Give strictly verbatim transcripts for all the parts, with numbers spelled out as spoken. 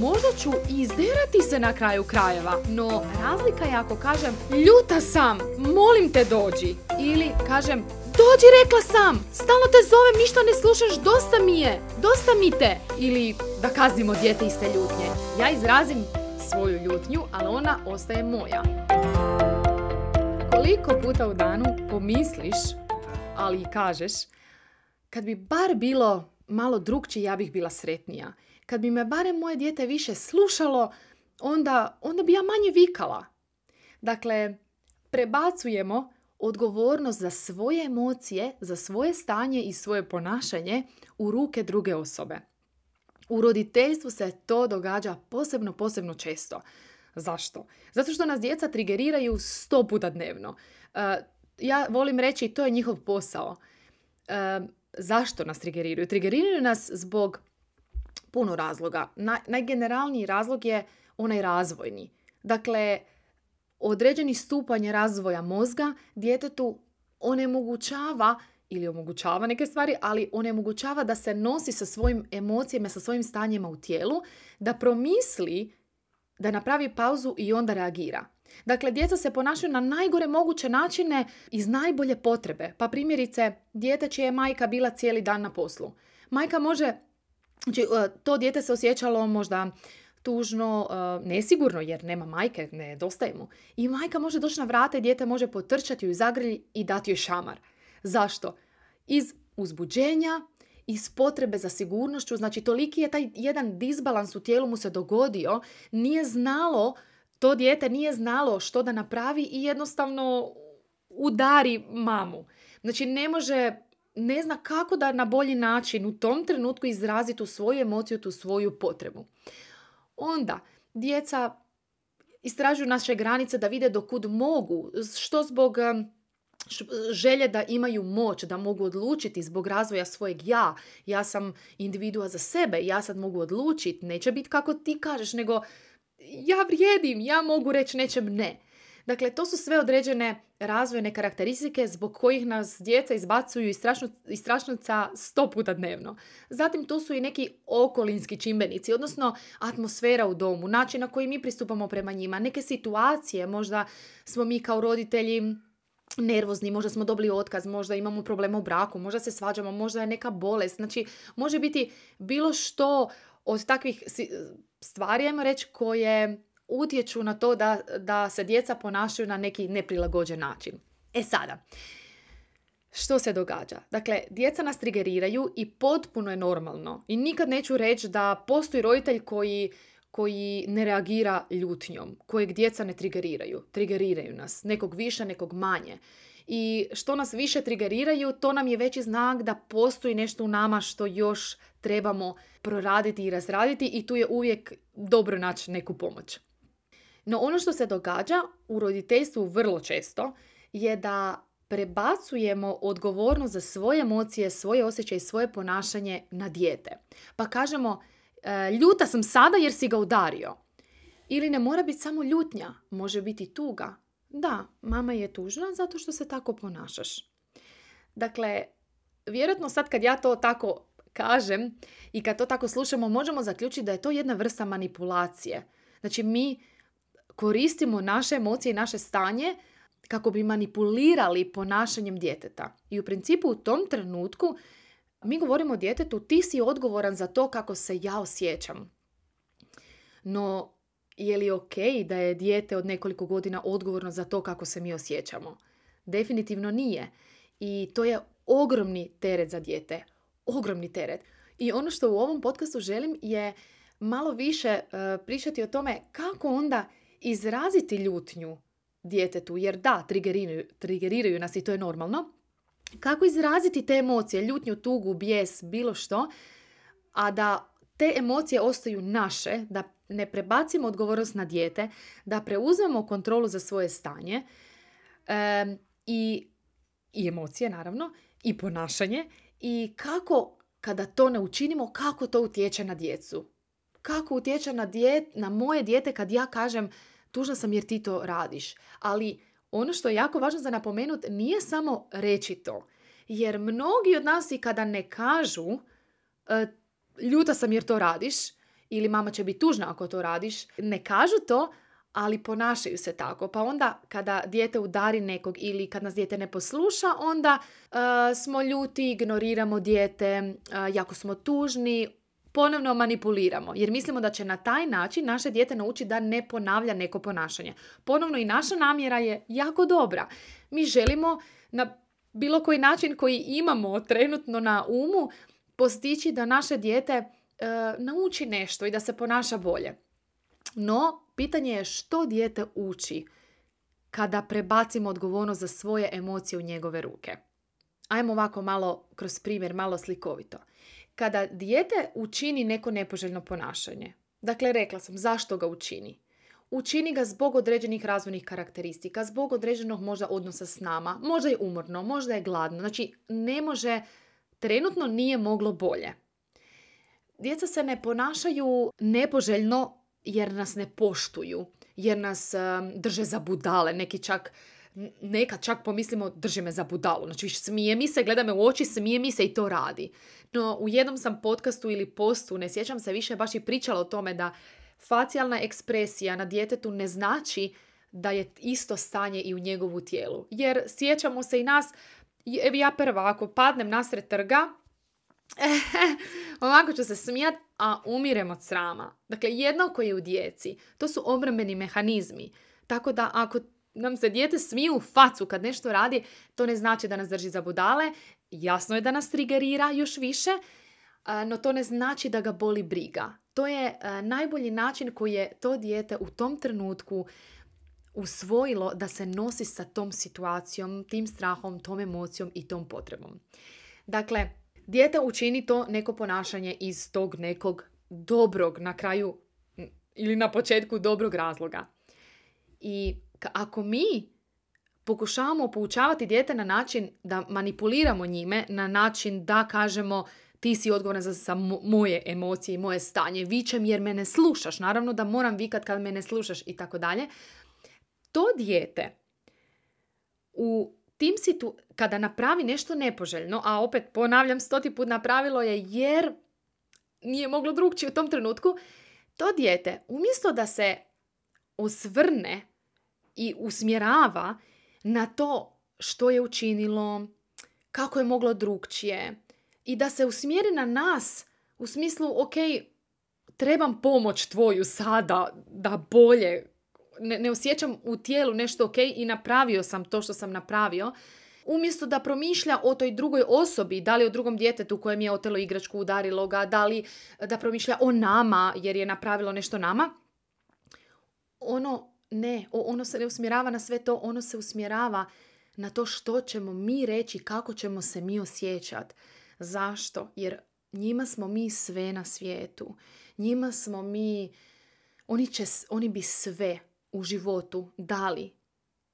možda ću i izderati se na kraju krajeva, no razlika je ako kažem ljuta sam, molim te dođi. Ili kažem dođi rekla sam, stalno te zovem, ništa ne slušaš, dosta mi je, dosta mi te. Ili da kaznimo dijete iste ljutnje. Ja izrazim svoju ljutnju, ali ona ostaje moja. Koliko puta u danu pomisliš, ali i kažeš, kad bi bar bilo malo drukčije, ja bih bila sretnija. Kad bi me barem moje dijete više slušalo, onda, onda bi ja manje vikala. Dakle, prebacujemo odgovornost za svoje emocije, za svoje stanje i svoje ponašanje u ruke druge osobe. U roditeljstvu se to događa posebno, posebno često. Zašto? Zato što nas djeca trigeriraju sto puta dnevno. Uh, ja volim reći, to je njihov posao. Uh, zašto nas trigeriraju? Trigeriraju nas zbog puno razloga. Na, najgeneralniji razlog je onaj razvojni. Dakle, određeni stupanj razvoja mozga djetetu onemogućava ili omogućava neke stvari, ali onemogućava da se nosi sa svojim emocijama, sa svojim stanjima u tijelu, da promisli, da napravi pauzu i onda reagira. Dakle, djeca se ponašaju na najgore moguće načine iz najbolje potrebe. Pa primjerice, dijete čija je majka bila cijeli dan na poslu. Majka može, znači, to dijete se osjećalo možda tužno, nesigurno jer nema majke, nedostaje mu. I majka može doći na vrata i dijete može potrčati u zagrlj i dati joj šamar. Zašto? Iz uzbuđenja, iz potrebe za sigurnošću, znači toliki je taj jedan disbalans u tijelu mu se dogodio, nije znalo, to dijete nije znalo što da napravi i jednostavno udari mamu. Znači ne može, ne zna kako da na bolji način u tom trenutku izrazi tu svoju emociju, tu svoju potrebu. Onda djeca istražuju naše granice da vide do kud mogu, što zbog želje da imaju moć, da mogu odlučiti zbog razvoja svojeg ja. Ja sam individua za sebe, ja sad mogu odlučiti, neće biti kako ti kažeš, nego ja vrijedim, ja mogu reći nečem ne. Dakle, to su sve određene razvojne karakteristike zbog kojih nas djeca izbacuju iz, strašno, iz strašnica sto puta dnevno. Zatim tu su i neki okolinski čimbenici, odnosno atmosfera u domu, način na koji mi pristupamo prema njima, neke situacije, možda smo mi kao roditelji nervozni, možda smo dobili otkaz, možda imamo problema u braku, možda se svađamo, možda je neka bolest. Znači, može biti bilo što od takvih stvari, ajmo reći, koje utječu na to da, da se djeca ponašaju na neki neprilagođen način. E sada, što se događa? Dakle, djeca nas trigeriraju i potpuno je normalno. I nikad neću reći da postoji roditelj koji koji ne reagira ljutnjom, kojeg djeca ne trigeriraju. Trigeriraju nas, nekog više, nekog manje. I što nas više trigeriraju, to nam je veći znak da postoji nešto u nama što još trebamo proraditi i razraditi i tu je uvijek dobro naći neku pomoć. No ono što se događa u roditeljstvu vrlo često je da prebacujemo odgovornost za svoje emocije, svoje osjećaje i svoje ponašanje na dijete. Pa kažemo, ljuta sam sada jer si ga udario. Ili ne mora biti samo ljutnja, može biti tuga. Da, mama je tužna zato što se tako ponašaš. Dakle, vjerojatno sad kad ja to tako kažem i kad to tako slušamo, možemo zaključiti da je to jedna vrsta manipulacije. Znači, mi koristimo naše emocije i naše stanje kako bi manipulirali ponašanjem djeteta. I u principu u tom trenutku mi govorimo djetetu, ti si odgovoran za to kako se ja osjećam. No, je li ok da je dijete od nekoliko godina odgovorno za to kako se mi osjećamo? Definitivno nije. I to je ogromni teret za dijete. Ogromni teret. I ono što u ovom podcastu želim je malo više uh, pričati o tome kako onda izraziti ljutnju djetetu. Jer da, trigeriraju, trigeriraju nas i to je normalno. Kako izraziti te emocije, ljutnju, tugu, bijes, bilo što, a da te emocije ostaju naše, da ne prebacimo odgovornost na dijete, da preuzmemo kontrolu za svoje stanje e, i, i emocije, naravno, i ponašanje. I kako, kada to ne učinimo, kako to utječe na djecu. Kako utječe na, djet, na moje dijete kad ja kažem tužna sam jer ti to radiš. Ali ono što je jako važno za napomenuti nije samo reći to. Jer mnogi od nas i kada ne kažu ljuta sam jer to radiš ili mama će biti tužna ako to radiš. Ne kažu to, ali ponašaju se tako. Pa onda kada dijete udari nekog ili kad nas dijete ne posluša, onda uh, smo ljuti, ignoriramo dijete, uh, jako smo tužni, ponovno manipuliramo. Jer mislimo da će na taj način naše dijete naučiti da ne ponavlja neko ponašanje. Ponovno i naša namjera je jako dobra. Mi želimo na bilo koji način koji imamo trenutno na umu postići da naše dijete uh, nauči nešto i da se ponaša bolje. No, pitanje je što dijete uči kada prebacimo odgovornost za svoje emocije u njegove ruke. Ajmo ovako malo kroz primjer, malo slikovito. Kada dijete učini neko nepoželjno ponašanje, dakle rekla sam zašto ga učini. Učini ga zbog određenih razvojnih karakteristika, zbog određenog možda odnosa s nama, možda je umorno, možda je gladno, znači ne može, trenutno nije moglo bolje. Djeca se ne ponašaju nepoželjno jer nas ne poštuju, jer nas um, drže za budale, neki čak, nekad čak pomislimo drži me za budalu, znači smije mi se, gleda me u oči, smije mi se i to radi. No u jednom sam podcastu ili postu, ne sjećam se više, baš i pričala o tome da facijalna ekspresija na djetetu ne znači da je isto stanje i u njegovu tijelu. Jer sjećamo se i nas, evo ja prva, ako padnem nasred trga, ovako ću se smijat, a umirem od srama. Dakle, jednako je u djeci. To su obrambeni mehanizmi. Tako da ako nam se dijete smije u facu kad nešto radi, to ne znači da nas drži za budale. Jasno je da nas trigerira još više, no to ne znači da ga boli briga. To je najbolji način koji je to dijete u tom trenutku usvojilo da se nosi sa tom situacijom, tim strahom, tom emocijom i tom potrebom. Dakle, dijete učini to neko ponašanje iz tog nekog dobrog, na kraju ili na početku dobrog razloga. I ako mi pokušavamo poučavati dijete na način da manipuliramo njime, na način da kažemo ti si odgovoran za, za moje emocije i moje stanje, vičem jer me ne slušaš, naravno da moram vikat kad me ne slušaš i tako dalje, to dijete u tim situ, kada napravi nešto nepoželjno, a opet ponavljam stoti put napravilo je jer nije moglo drugčije u tom trenutku, to dijete umjesto da se osvrne i usmjerava na to što je učinilo, kako je moglo drugčije i da se usmjeri na nas u smislu ok, trebam pomoć tvoju sada da bolje, ne, ne osjećam u tijelu nešto ok i napravio sam to što sam napravio, umjesto da promišlja o toj drugoj osobi, da li o drugom djetetu kojem je otelo igračku, udarilo ga, da li da promišlja o nama jer je napravilo nešto nama, ono ne, ono se ne usmjerava na sve to, ono se usmjerava na to što ćemo mi reći, kako ćemo se mi osjećati. Zašto? Jer njima smo mi sve na svijetu. Njima smo mi, oni, će, oni bi sve u životu dali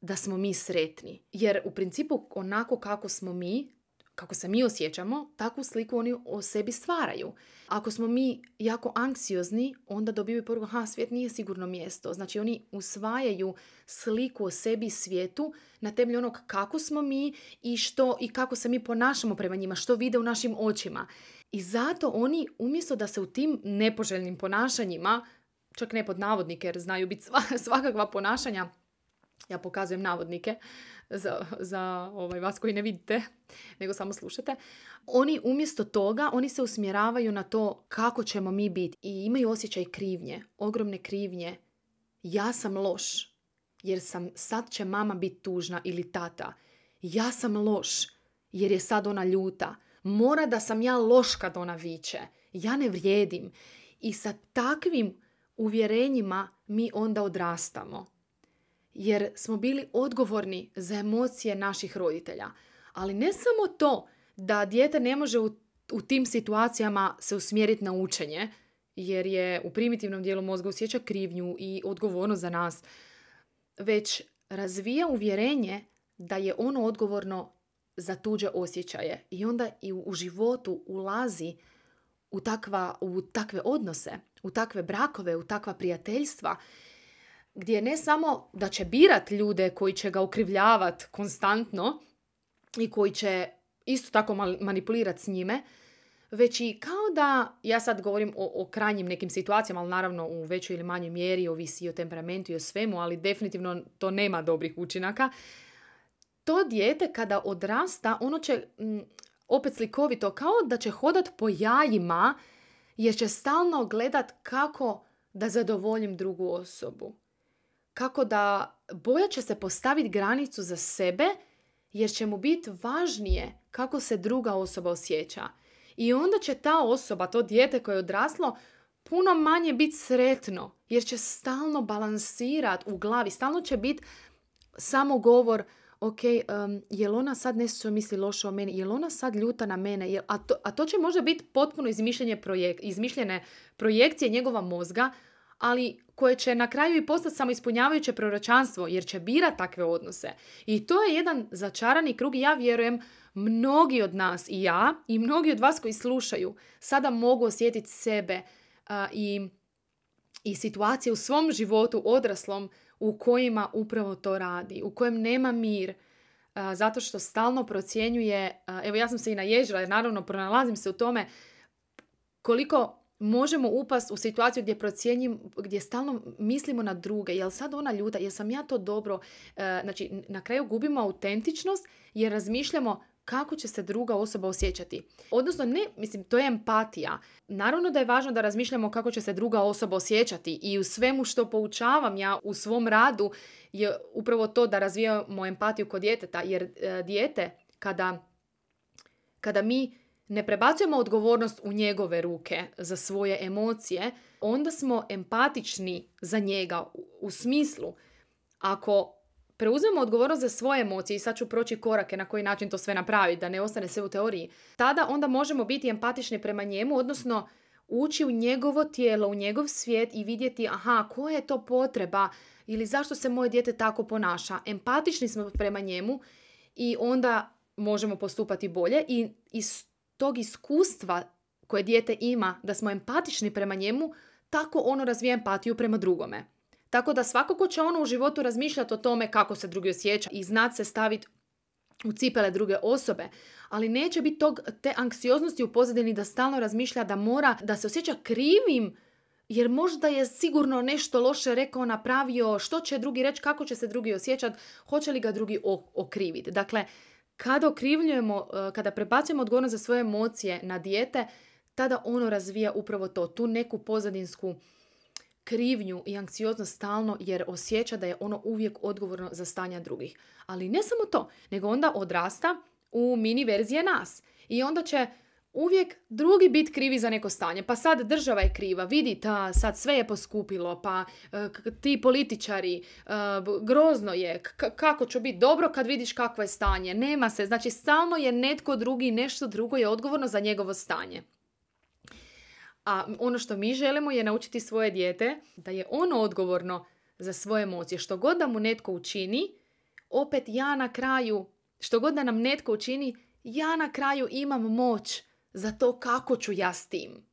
da smo mi sretni. Jer u principu onako kako smo mi, kako se mi osjećamo, takvu sliku oni o sebi stvaraju. Ako smo mi jako anksiozni, onda dobiju poruku, ha, svijet nije sigurno mjesto. Znači oni usvajaju sliku o sebi i svijetu na temelju onog kako smo mi i što i kako se mi ponašamo prema njima, što vide u našim očima. I zato oni, umjesto da se u tim nepoželjnim ponašanjima, čak ne pod navodnike jer znaju biti svakakva ponašanja, ja pokazujem navodnike za, za ovaj, vas koji ne vidite, nego samo slušate. Oni umjesto toga, oni se usmjeravaju na to kako ćemo mi biti i imaju osjećaj krivnje, ogromne krivnje. Ja sam loš jer sam, sad će mama biti tužna ili tata. Ja sam loš jer je sad ona ljuta. Mora da sam ja loš kad ona viče. Ja ne vrijedim. I sa takvim uvjerenjima mi onda odrastamo. Jer smo bili odgovorni za emocije naših roditelja. Ali ne samo to da dijete ne može u, u tim situacijama se usmjeriti na učenje, jer je u primitivnom dijelu mozga osjeća krivnju i odgovornost za nas, već razvija uvjerenje da je ono odgovorno za tuđe osjećaje. I onda i u, u životu ulazi u, takva, u takve odnose, u takve brakove, u takva prijateljstva, gdje ne samo da će birat ljude koji će ga okrivljavati konstantno i koji će isto tako manipulirati s njime, već i kao da, ja sad govorim o, o krajnjim nekim situacijama, ali naravno u većoj ili manjoj mjeri, ovisi i o temperamentu i o svemu, ali definitivno to nema dobrih učinaka. To dijete kada odrasta, ono će, m, opet slikovito, kao da će hodat po jajima, jer će stalno gledat kako da zadovoljim drugu osobu. Kako da, bojat će se postaviti granicu za sebe, jer će mu biti važnije kako se druga osoba osjeća. I onda će ta osoba, to dijete koje je odraslo, puno manje biti sretno, jer će stalno balansirat u glavi, stalno će biti samo govor, ok, um, jel ona sad nešto misli loše o meni, jel ona sad ljuta na mene, jel, a, to, a to će možda biti potpuno izmišljenje projek, izmišljene projekcije njegova mozga, ali koje će na kraju i postati samo ispunjavajuće proročanstvo, jer će birat takve odnose. I to je jedan začarani krug i ja vjerujem mnogi od nas i ja i mnogi od vas koji slušaju sada mogu osjetiti sebe uh, i, i situacije u svom životu odraslom u kojima upravo to radi, u kojem nema mir, uh, zato što stalno procjenjuje, uh, evo ja sam se i naježila jer naravno pronalazim se u tome koliko možemo upast u situaciju gdje procjenjim, gdje stalno mislimo na druge, jel sad ona ljuta, jel sam ja to dobro, uh, znači na kraju gubimo autentičnost jer razmišljamo kako će se druga osoba osjećati. Odnosno, ne, mislim, to je empatija. Naravno da je važno da razmišljamo kako će se druga osoba osjećati i u svemu što poučavam ja u svom radu je upravo to da razvijamo empatiju kod djeteta, jer e, dijete, kada, kada mi ne prebacujemo odgovornost u njegove ruke za svoje emocije, onda smo empatični za njega u, u smislu ako preuzmemo odgovornost za svoje emocije i sad ću proći korake na koji način to sve napraviti, da ne ostane sve u teoriji, tada onda možemo biti empatični prema njemu, odnosno ući u njegovo tijelo, u njegov svijet i vidjeti aha, koja je to potreba ili zašto se moje dijete tako ponaša. Empatični smo prema njemu i onda možemo postupati bolje i iz tog iskustva koje dijete ima da smo empatični prema njemu, tako ono razvija empatiju prema drugome. Tako da svakako će ono u životu razmišljati o tome kako se drugi osjeća i znati se staviti u cipele druge osobe, ali neće biti tog, te anksioznosti u pozadini da stalno razmišlja da mora, da se osjeća krivim jer možda je sigurno nešto loše rekao, napravio, što će drugi reći, kako će se drugi osjećati, hoće li ga drugi okriviti. Dakle, kada okrivljujemo, kada prebacujemo odgovornost za svoje emocije na dijete, tada ono razvija upravo to, tu neku pozadinsku krivnju i anksioznost stalno jer osjeća da je ono uvijek odgovorno za stanja drugih. Ali ne samo to, nego onda odrasta u mini verzije nas. I onda će uvijek drugi biti krivi za neko stanje. Pa sad država je kriva, vidi ta, sad sve je poskupilo, pa k- ti političari, uh, grozno je, k- kako će biti dobro kad vidiš kakvo je stanje. Nema se, znači stalno je netko drugi, nešto drugo je odgovorno za njegovo stanje. A ono što mi želimo je naučiti svoje dijete da je ono odgovorno za svoje emocije. Što god da mu netko učini, opet ja na kraju, što god da nam netko učini, ja na kraju imam moć za to kako ću ja s tim.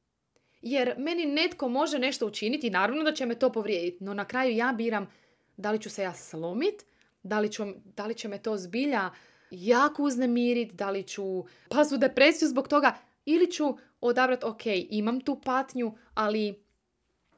Jer meni netko može nešto učiniti, naravno da će me to povrijediti, no na kraju ja biram da li ću se ja slomit, da li, ću, da li će me to zbilja jako uznemiriti, da li ću pasti u depresiju zbog toga, ili ću odabrati, ok, imam tu patnju, ali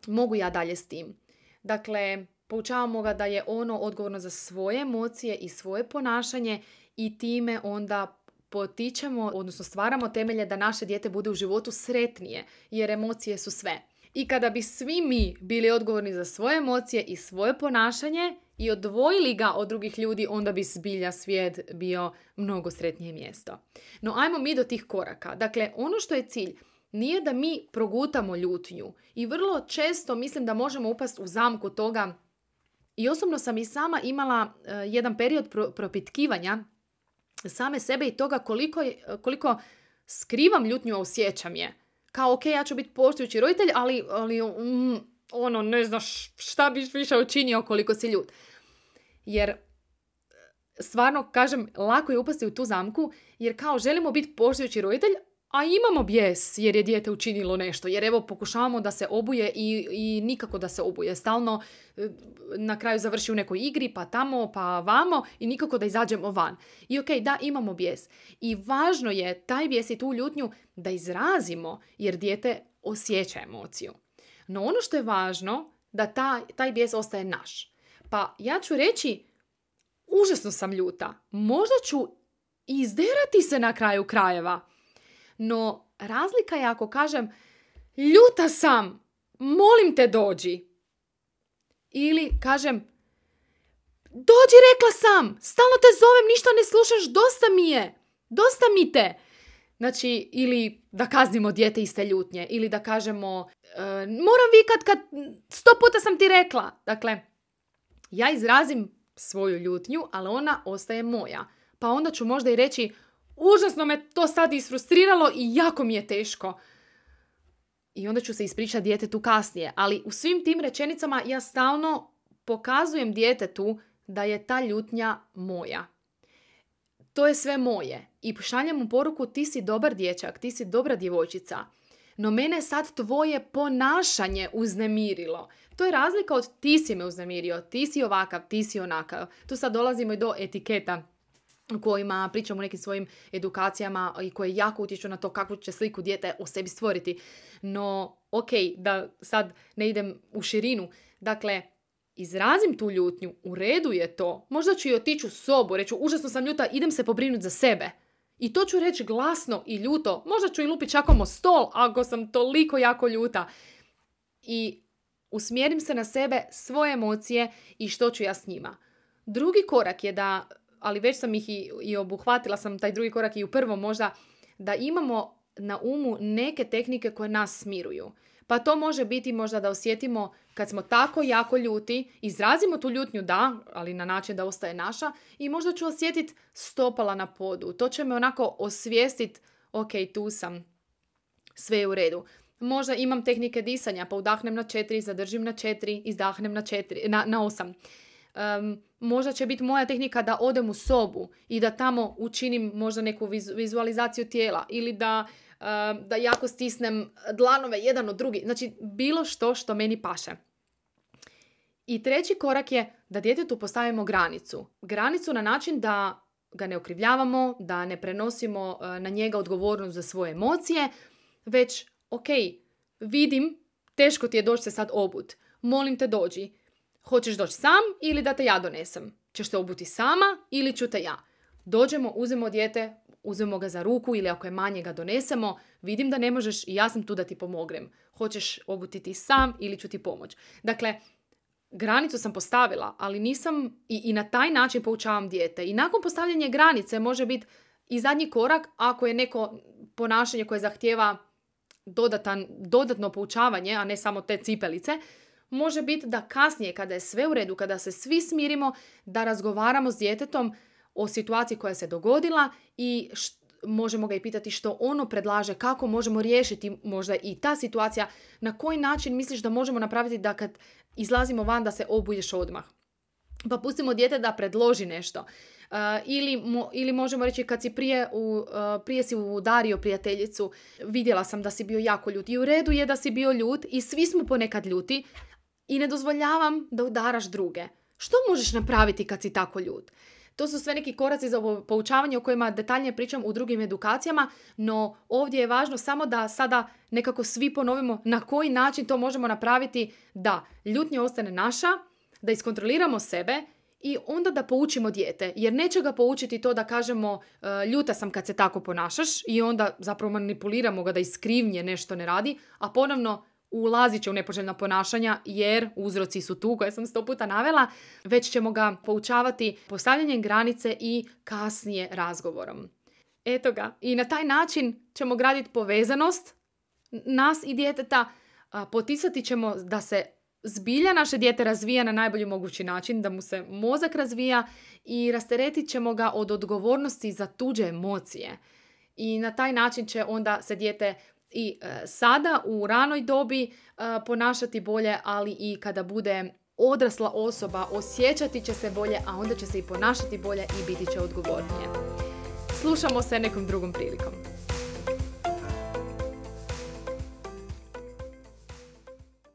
mogu ja dalje s tim. Dakle, poučavamo ga da je ono odgovorno za svoje emocije i svoje ponašanje i time onda potičemo, odnosno stvaramo temelje da naše dijete bude u životu sretnije, jer emocije su sve. I kada bi svi mi bili odgovorni za svoje emocije i svoje ponašanje i odvojili ga od drugih ljudi, onda bi zbilja svijet bio mnogo sretnije mjesto. No ajmo mi do tih koraka. Dakle, ono što je cilj nije da mi progutamo ljutnju i vrlo često mislim da možemo upasti u zamku toga. I osobno sam i sama imala uh, jedan period pro- propitkivanja same sebe i toga koliko, je, koliko skrivam ljutnju, a osjećam je. Kao, ok, ja ću biti poštujući roditelj, ali, ali mm, ono, ne znaš šta biš više učinio koliko si ljut. Jer, stvarno, kažem, lako je upasti u tu zamku, jer kao želimo biti poštujući roditelj, a imamo bijes jer je dijete učinilo nešto. Jer evo pokušavamo da se obuje i, i nikako da se obuje. Stalno e, na kraju završi u nekoj igri, pa tamo, pa vamo i nikako da izađemo van. I ok, da, imamo bijes. I važno je taj bijes i tu ljutnju da izrazimo jer dijete osjeća emociju. No ono što je važno da ta, taj bijes ostaje naš. Pa ja ću reći, užasno sam ljuta. Možda ću izderati se na kraju krajeva. No razlika je ako kažem, ljuta sam, molim te dođi. Ili kažem, dođi, rekla sam, stalno te zovem, ništa ne slušaš, dosta mi je, dosta mi te. Znači, ili da kaznimo dijete iste ljutnje, ili da kažemo, e, moram vikat kad sto puta sam ti rekla. Dakle, ja izrazim svoju ljutnju, ali ona ostaje moja. Pa onda ću možda i reći, užasno me to sad isfrustriralo i jako mi je teško. I onda ću se ispričati djetetu kasnije. Ali u svim tim rečenicama ja stalno pokazujem djetetu da je ta ljutnja moja. To je sve moje. I šaljem mu poruku, ti si dobar dječak, ti si dobra djevojčica. No mene sad tvoje ponašanje uznemirilo. To je razlika od ti si me uznemirio, ti si ovakav, ti si onakav. Tu sad dolazimo i do etiketa u kojima pričamo o nekim svojim edukacijama i koje jako utječu na to kakvu će sliku dijete o sebi stvoriti. No, ok, da sad ne idem u širinu. Dakle, izrazim tu ljutnju, u redu je to. Možda ću i otići u sobu, reću, užasno sam ljuta, idem se pobrinuti za sebe. I to ću reći glasno i ljuto. Možda ću i lupiti čakom o stol ako sam toliko jako ljuta. I usmjerim se na sebe, svoje emocije i što ću ja s njima. Drugi korak je da, ali već sam ih i, i obuhvatila sam taj drugi korak i u prvom možda, da imamo na umu neke tehnike koje nas smiruju. Pa to može biti možda da osjetimo kad smo tako jako ljuti, izrazimo tu ljutnju, da, ali na način da ostaje naša, i možda ću osjetiti stopala na podu. To će me onako osvijestiti, ok, tu sam, sve je u redu. Možda imam tehnike disanja, pa udahnem na četiri, zadržim na četiri, izdahnem na, četiri, na, na osam. Um, možda će biti moja tehnika da odem u sobu i da tamo učinim možda neku vizu, vizualizaciju tijela ili da, uh, da jako stisnem dlanove jedan od drugi. Znači, bilo što što meni paše. I treći korak je da djetetu postavimo granicu. Granicu na način da ga ne okrivljavamo, da ne prenosimo uh, na njega odgovornost za svoje emocije, već, ok, vidim, teško ti je doći se sad obut. Molim te dođi. Hoćeš doći sam ili da te ja donesem? Ćeš se obuti sama ili ću te ja? Dođemo, uzmemo dijete, uzmemo ga za ruku ili ako je manje ga donesemo. Vidim da ne možeš i ja sam tu da ti pomognem. Hoćeš obuti ti sam ili ću ti pomoć? Dakle, granicu sam postavila, ali nisam i, i na taj način poučavam dijete. I nakon postavljanja granice može biti i zadnji korak ako je neko ponašanje koje zahtijeva dodatan, dodatno poučavanje, a ne samo te cipelice, može biti da kasnije, kada je sve u redu, kada se svi smirimo, da razgovaramo s djetetom o situaciji koja se dogodila i št, možemo ga i pitati što ono predlaže, kako možemo riješiti možda i ta situacija, na koji način misliš da možemo napraviti da kad izlazimo van da se obuješ odmah. Pa pustimo dijete da predloži nešto. Uh, ili, mo, ili možemo reći kad si prije, u, uh, prije si udario prijateljicu, vidjela sam da si bio jako ljut. I u redu je da si bio ljut i svi smo ponekad ljuti i ne dozvoljavam da udaraš druge. Što možeš napraviti kad si tako ljut? To su sve neki koraci za poučavanje o kojima detaljnije pričam u drugim edukacijama, no ovdje je važno samo da sada nekako svi ponovimo na koji način to možemo napraviti da ljutnja ostane naša, da iskontroliramo sebe i onda da poučimo dijete. Jer neće ga poučiti to da kažemo ljuta sam kad se tako ponašaš i onda zapravo manipuliramo ga da iskrivnje nešto ne radi, a ponovno ulazit će u nepoželjna ponašanja jer uzroci su tu koje sam sto puta navela, već ćemo ga poučavati postavljanjem granice i kasnije razgovorom. Eto ga. I na taj način ćemo graditi povezanost nas i djeteta, poticati ćemo da se zbilja naše dijete razvija na najbolji mogući način, da mu se mozak razvija i rasteretit ćemo ga od odgovornosti za tuđe emocije. I na taj način će onda se dijete i e, sada u ranoj dobi e, ponašati bolje, ali i kada bude odrasla osoba osjećati će se bolje, a onda će se i ponašati bolje i biti će odgovornije. Slušamo se nekom drugom prilikom.